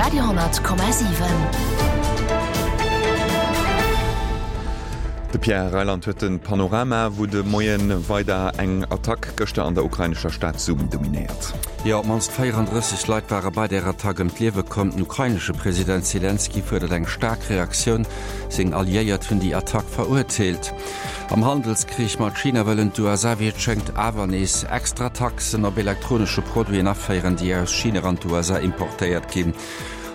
Radio,7. De Pierre Reyland huet de Panorama, wou de Moien weider eng Attack gëschter an der ukrainescher Stad Sumy dominéiert. Jo, op d'mannst 34 Leit ware bei där Attack ëm d'Liewe komm. Den ukrainesche President Selenskyj fuerdert eng staark Reaktioun. Seng Alliéiert hunn déi Attack verurteelt. Am Handelskrich mat China wëllen d'USA wéi et schéngt awer nees extra Taxen op elektronesche Produiten aféieren, déi aus China an d'USA importéiert ginn.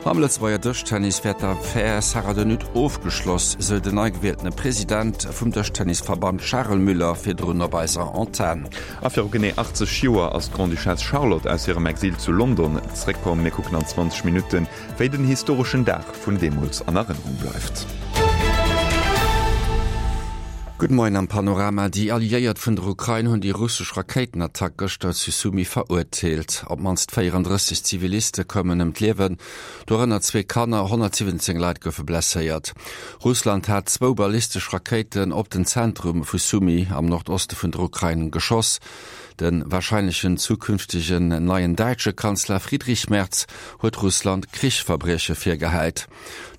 Am Lëtzebuerger Dëschtennis wär d'Affär Sarah De Nutte ofgeschloss, sou den nei gewieltene President vum Dëschtennisverband Charel Müller virdrun op eiser Antenn. A viru genee 80 Joer ass d'Grande-Duchesse Charlotte aus hirem Exil zu London zréckkomm. Mir kucken an 20 Minutten, wéi den historeschen Dag vun deemools an Erënnerung bleift. Gudde Moien am Panorama. Déi Alliéiert vun der Ukrain hunn déi russesch Rakéitenattack gëschter zu Sumy verurteelt. Op d'mannst 34 Ziviliste koumen ëm d'Liewen, dorënner zwee Kanner. 117 Leit goufe blesséiert. Russland hat zwou ballistesch Rakéiten op den Zentrum vu Sumy am Nordoste vun der Ukrain geschoss. De warscheinlechen zukünftegen neien däitsche Kanzler Friedrich Merz huet Russland Krichsverbrieche virgehäit.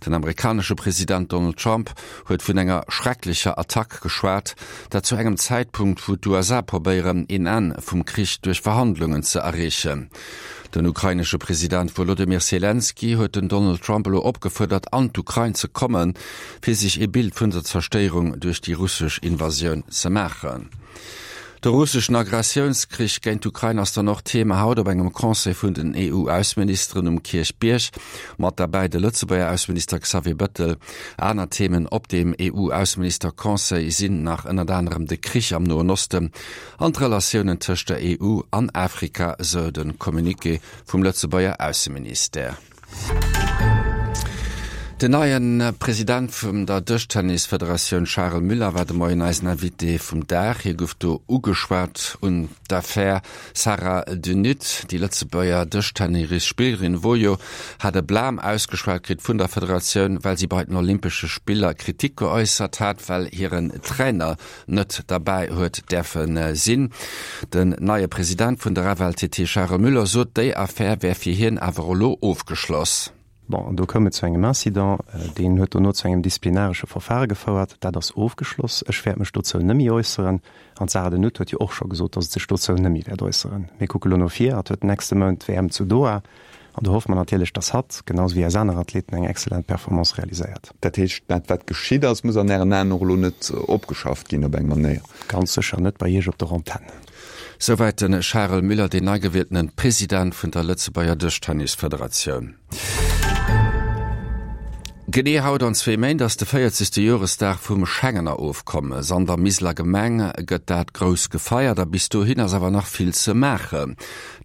Den amerikanesche President Donald Trump huet vun enger schrecklecher Attack geschwat, dat zu engem Zäitpunkt, wou d'USA probéieren, een Enn vum Krich duerch Verhandlungen ze erreechen. Den ukrainesche President Wolodymyr Selenskyj huet den Donald Trump elo opgefuerdert, an d'Ukrain ze kommen, fir sech ee Bild vun der Zerstéierung duerch déi russesch Invasioun ze maachen. De russeschen Agressiounskrich géint d'Ukrain ass dann och Thema haut op engem Conseil vun den EU-Ausseministeren um Kierchbierg. Mat derbäi de Lëtzebuerger Ausseminister Xavier Bettel. Aner Themen op deem EU-Ausseminister-Conseil sinn nach ënnert anerem de Krich am Noen Osten an d'Relatiounen tëscht der EU an Afrika, sou de Communiqué vum Lëtzebuerger Ausseministère. Den neie President vun der Dëschtennisfederatioun Charel Müller war de Moien eisen Invité vum Dag. Hie gouf do ugeschwat un d'Affär Sarah De Nutte. Déi Lëtzebuerger Dëschtennisspillerin Wojo hat e Blam ausgeschwat kritt vun der Federatioun, well si bei den Olympesche Spiller Kritik geäussert hat, well hiren Trainer net derbäi huet däerfe sinn. Den neie President vun der FLTT Charel Müller sot, déi Affär wär fir hien awer elo ofgeschloss. Bon, an do koum et zu engem Incident, deen huet dono zu engem disziplinaresche Verfahre gefouert. Dat ass ofgeschloss. Ech wäert mech dozou nëmmi äusseren. An d'Sarah De Nutte huet jo och scho gesot, datt et sech dozou nëmmi wäert äusseren. Mir kucke lo no vir. Hatt huet den nächste Mount d'WM zu Doha. An do hoffe mer natierlech, dass hatt, genau esou wéi eis aner Athleten, eng excellent Performance realiséiert. Dat heescht, dat wat geschitt ass, muss an Ären Aen och elo net opgeschafft ginn op eng Manéier? Ganz sécher net bei Iech op der Antenn. Souwäit de Charel Müller, deen nei gewieltene President vun der Lëtzebuerger Dëschtennisfederatioun. Genee haut an zwee Méint ass de 40. Joresdag vum Schengener Ofkommes. An der Miseler Gemeng gëtt dat grouss gefeiert a bis dohin ass awer nach vill ze maachen.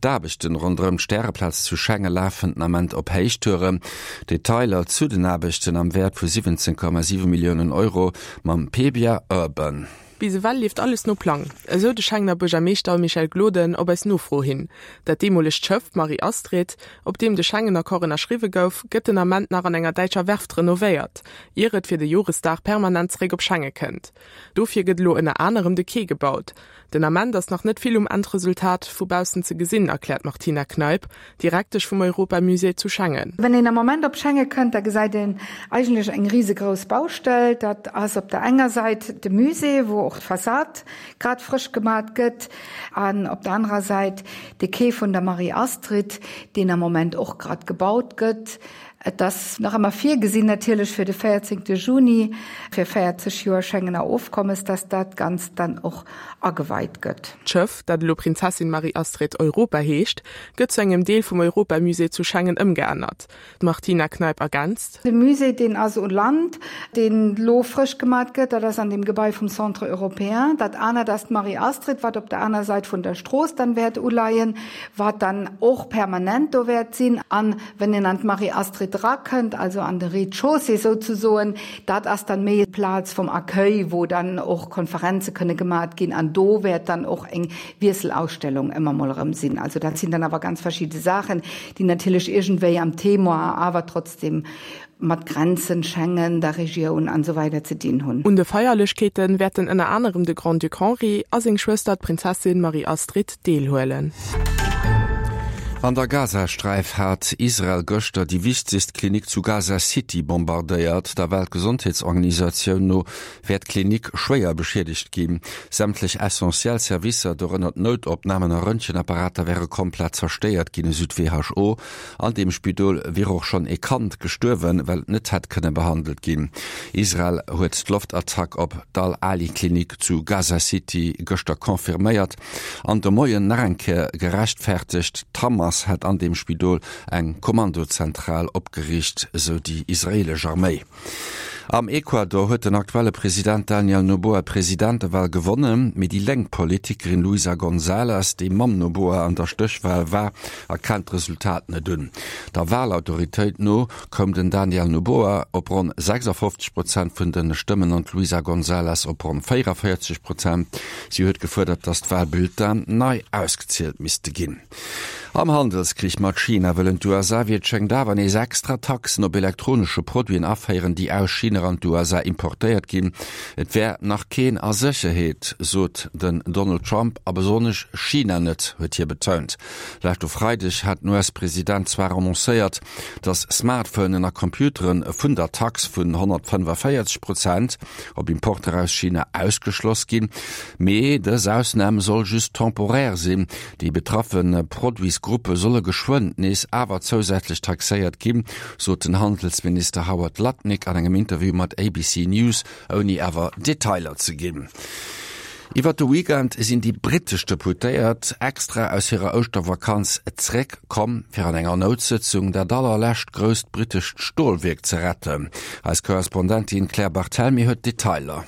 D'Aarbechten ronderëm d'Stäreplaz zu Schengen lafen den Ament op Héichtouren. Detailer zu den Aarbechten am Wäert vu 17,7 Milliounen Euro mam Pebia Urban. Bis ewell leeft alles no Plang, esou de Schengener Buergermeeschter Michel Gloden op eis Nofro hin. Dat deemolegt Schëff Marie-Astrid, op deem de Schengen-Accord ënnerschriwwe gouf, gëtt den Ament nach an enger däitscher Werft renovéiert, ier et fir de Joresdag permanent zeréck op Schengen kënnt. Dofir gëtt elo ënner anerem de Quai gebaut. Den Ament ass nach net vill um Endresultat vu baussen ze gesinn, erkläert d'Martina Kneip, Direktesch vum Europamusée zu Schengen. Wann een am Moment op Schengen kënnt, da gesäit een eigentlech eng risegrouss Baustell. Dat ass op der enger Säit de Musée, wou och d'Fassad grad frësch gemat gëtt, an op der anerer Säit de Quai vun der Marie-Astrid, deen am Moment och grad gebaut gëtt. Et ass nach ëmmer virgesinn, natierlech fir de 14 Juni, fir 40 Joer Schengener Ofkommes, dass dat Ganzt dann och ageweit gëtt. D'Schëff, dat elo Prinzessin Marie-Astrid Europa heescht, gëtt zu engem Deel vum Europamusée zu Schengen ëmgeännert. D'Martina Kneip ergänzt. De Musée, deen ass u Land, deen elo frësch gemat gëtt, dat ass an deem Gebai vum Centre européen. Dat anert ass d'Marie-Astrid, wat op der aner Sait vun der Strooss dann wäert uleien, wat dann och permanent do wäert sinn. An Wenn een an d'Marie-Astrid erakënnt, also an de Rez-de-chaussée souzesoen, dat ass dann méi d'Plaz vum Accueil, wou dann och Konferenze kënne gemat ginn an do wäert dann och eng Wiesselausstellung ëmmer mol erëm sinn. Also dat sinn dann awer ganz verschidde Saachen, déi natierlech iergendwéi am Thema awer trotzdem mat Grenzen, Schengen, der Regioun an esou weider ze dinn hunn. Un de Feierlechkeete wäerten ënner anerem de Grand-Duc Henri a seng Schwëster d'Prinzessin Marie-Astrid deelhuelen. An der Gazasträif hat Israel gëschter déi wichtegst Klinik zu Gaza City bombardéiert. Der Weltgesondheetsorganisatioun no wär d'Klinik schwéier beschiedegt ginn. Sämtlech essentiell Servicer, dorënner d'Noutopnamen a Röntgenapparater, wäre komplett zerstéiert ginn, esou d'WHO. An deem Spidol wier och schonn ee Kand gestuerwen, well et net hätt kënne behandelt ginn. Israel huet d'Loftattack op d'Al-Ahli-Klinik zu Gaza City gëschter confirméiert an de Moien nach eng Kéier gerechtfertegt. D'Hamas hätt an deem Spidol eng Kommandozentral opgeriicht, esou déi israeelesch Arméi. Am Ecuador huet den aktuelle President Daniel Noboa d'Presidentewal gewonnen, mee déi lénk Politikerin Luisa González, déi mam Noboa an der Stéchwal war, erkennt d'Resultat net un. Der Walautoritéit no koum den Daniel Noboa op ronn 56 Prozent vun de Stëmmen an d'Luisa González op ronn 44 Prozent. Si huet gefuerdert, datt d'Walbulletinen nei ausgezielt misste ginn. Am Handelskrich mat China wëllen d'USA wéi et schéngt awer nees extra Taxen op elektronesche Produiten aféieren, déi aus China an d'USA importéiert ginn. Et wär nach keen a Sécherheet, sot den Donald Trump, a besonnesch China net, huet hie betount. Leschte Freideg hat den US-President zwar annoncéiert, datt Smartphonen a Computere vun der Tax vun 145 Prozent op Importer aus China ausgeschloss ginn, mee dës Ausnam soll just temporär sinn. Déi betraffe Produitsgruppe solle geschwënn nees awer zousätzlech taxéiert ginn, sot den Handelsminister Howard Lutnick an engem Interview mat ABC News, ouni awer Detailer ze ginn. Iwwer de Weekend sinn déi brittesch Deputéiert extra aus hirer Ouschtervakanz zeréck komm, fir an enger Noutsëtzung dat allerlescht grousst brittescht Stolwierk ze retten. Eis Korrespondentin Claire Barthelmy huet d'Detailer.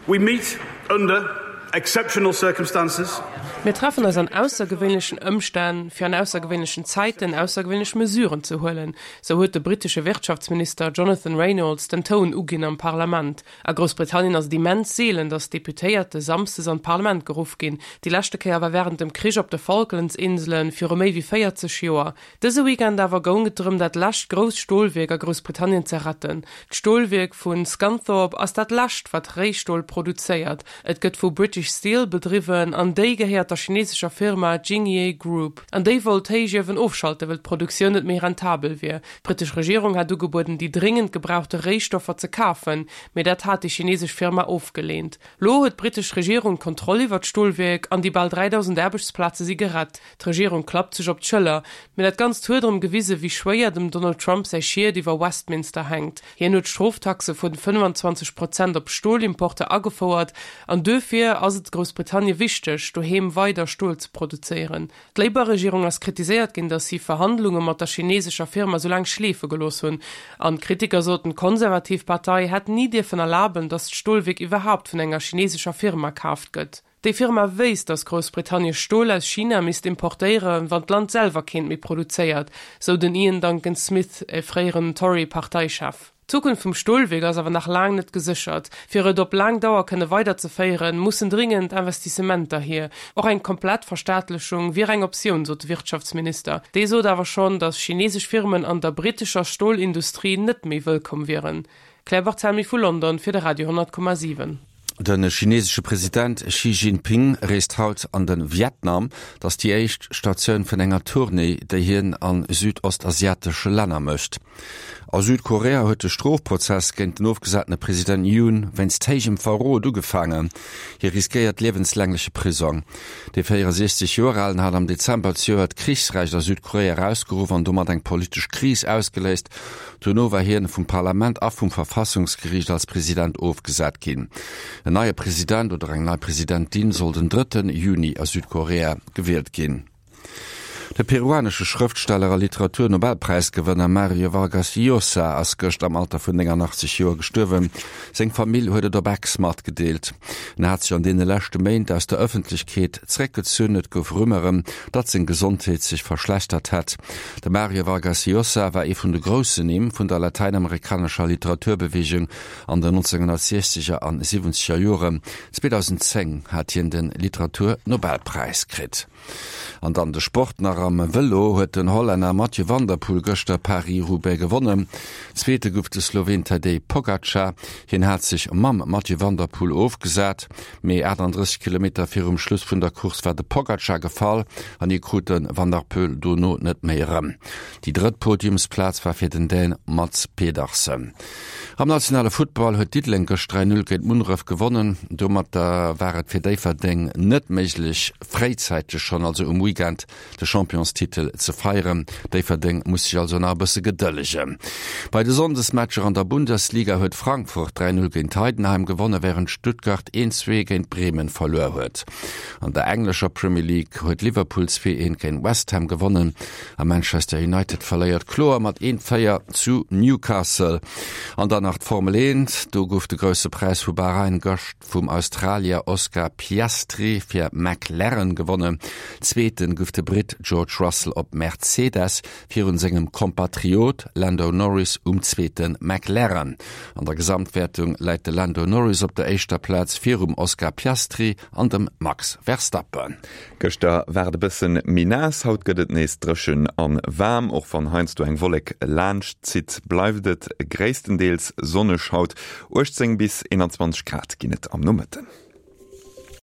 We meet under exceptional circumstances. Mir treffen eis an aussergewéinlechen Ëmstänn, fir an aussergewéinlechen Zäiten aussergewéinlech Mesuren ze huelen, sou huet de brittesche Wirtschaftsminister Jonathan Reynolds den Toun uginn am Parlament. A Groussbritannien ass et immens seelen, datt Deputéierte samsdes an d'Parlament geruff ginn. Déi leschte Kéier war wärend dem Krich op de Falklandsinselen viru méi wéi 40 Joer. Dëse Weekend awer goung et drëm, dat lescht grousst Stolwierk a Groussbritannien ze retten. D'Stolwierk vu Scunthorpe ass dat lescht, wat Réistol produzéiert. Et gëtt vu British Steel bedriwwen an déi gehéiert der chinesescher Firma Jingye Group. An déi wollt d'Héichiewen ofschalten, wëll d'Produktioun net méi rentabel wier. D'brittesch Regierung hat ugebueden, déi dréngend gebrauchte Réistoffer ze kafen, mee dat hat déi chinesesch Firma ofgeleent. Lo huet d'brittesch Regierung d'Kontroll iwwer d'Stolwierk an déi bal 3.000 Aarbechtsplaze si gerett. D'Regierung klappt sech op d'Schëller, mee dat Ganzt huet erëm gewise wéi schwéier dem Donald Trump säi Schiet iwwer Westminster hänkt. Hien huet Stroftaxe vun 25 Prozent op Stolimporter agefouert an duerfir ass et Groussbritannien wichteg, doheem weider Stol ze produzéieren. D'Labour-Regierung ass kritiséiert ginn, datt si Verhandlunge mat der chinesescher Firma sou laang schleefe gelooss hunn. An d'Kritiker soten, d'konservativ Partei hätt ni dierfen erlaben, datt d'Stolwierk iwwerhaapt vun enger chinesescher Firma kaaft gëtt. Déi Firma wéisst, datt Groussbritannie Stol aus China misst importéieren, wann d'Land selwer keent méi produzéiert, sou den Iain Duncan Smith, e fréieren Tory-Parteichef. D'Zukunft vum Stolwierk ass awer nach laang net geséchert. Fir et op laang Dauer kënne weiderzeféieren, mussen dringend Investissementer hier. Och eng komplett Verstaatlechung wier eng Optioun, sot de Wirtschaftsminister. Dee sot awer schonn, datt chinesesch Firmen an der brittescher Stolindustrie net méi wëllkomm wieren. Claire Barthelmy vu London fir de Radio 10,7. De chinesesche President Xi Jinping reest haut an de Vietnam. Et ass déi éischt Statioun vun enger Tournée, déi hien a südostasiatesche Länner mécht. A Südkorea huet de Strofprozess géint den ofgesatene President Yoon wéinst héijem Verrot ugefaangen. Hie riskéiert liewenslängleche Prisong. De 64 Joer alen hat am Dezember zejoert d'Krichsrecht a Südkorea erausgeruff an domat eng politesch Kris ausgeléist. Dono war hien vum Parlament a vum Verfassungsgeriicht als President ofgesat ginn. En neie President oder eng nei Presidentin soll den drëtten Juni a Südkorea gewielt ginn. De peruanesche Schrëftsteller a Literatur-Nobelpräisgewënner Mario Vargas Llosa ass gëscht am Alter vun 89 Joer gestuerwen. Seng Famill huet et op Ex matgedeelt. En hat sech an deene leschte Méint aus der Ëffentlechkeet zeréckgezunn. Et gouf Rumeuren, datt seng Gesondheet sech verschlechtert hätt. De Mario Vargas Llosa war ee vun de groussen Nimm vun der latäinamerikanescher Literaturbeweegung an den 1960er an siwwenzeger Joren. 2010 hat hien de Literaturnobelpräis kritt. An dann de Sport nach. Am Vëlo huet den Hollänner Mathieu van der Poel gëschter Paris-Roubaix gewonnen. Zweete gouf de Sloween Tadej Pogacar. Hien hat sech mam Mathieu van der Poel ofgesat, mee 38 Kilometer virum Schluss vun der Course war de Pogacar gefall an hie krut de Van der Poel dono net méi erëm. Déi drëtt Podiumsplaz war fir den Dän Mads Pedersen. Am nationale Futtball huet Diddeleng gëscht 3, 0 géint Munneref gewonnen. Domatter war et fir Déifferdeng net méiglech, fréizäiteg schonn, also um Weekend, de Championstitel ze feieren. Déifferdeng muss sech also nach e bësse gedëllegen. Bei de Sonndesmatcher an der Bundesliga huet Frankfurt 3, 0 géint Heidenheim gewonnen, wärend Stuttgart 1, 2 géint Bremen verluer huet. An der englescher Premier League huet Liverpool 2, 1 géint West Ham gewonnen. A Manchester United verléiert kloer mat 1, 4 zu Newcastle. An dann nach d'Formel 1, Do gouf de Grousse Präis vu Bahrain gëscht vum Australier Oscar Piastri fir McLaren gewonnen. Zweeten gouf de Britt George Russell op Mercedes virun sengem Kompatriot Lando Norris um zweete McLaren. An der Gesamtwäertung läit de Lando Norris op der éischter Plaz virum Oscar Piastri an dem Max Verstappen. Gëschter war et e bëssen méi naass, haut gëtt et nees dréchen an waarm. Och wann heiansdo eng Wollek laanscht zitt, bleift et gréisstendeels sonneg haut. 18 bis 21 Grad ginn et am Nomëtten.